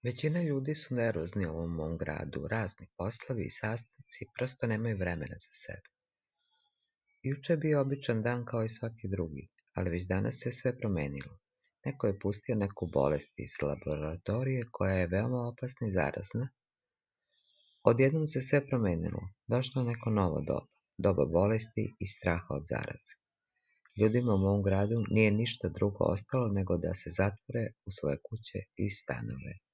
Većina ljudi su nervozni u ovom mom gradu, razni poslovi i sastanci, prosto nemaju vremena za sebe. Juče je bio običan dan kao i svaki drugi, ali već danas se sve promenilo. Neko je pustio neku bolest iz laboratorije koja je veoma opasna i zarazna. Odjednom se sve promenilo, došlo neko novo doba, doba bolesti i straha od zaraze. Ljudima u mom gradu nije ništa drugo ostalo nego da se zatvore u svoje kuće i stanove.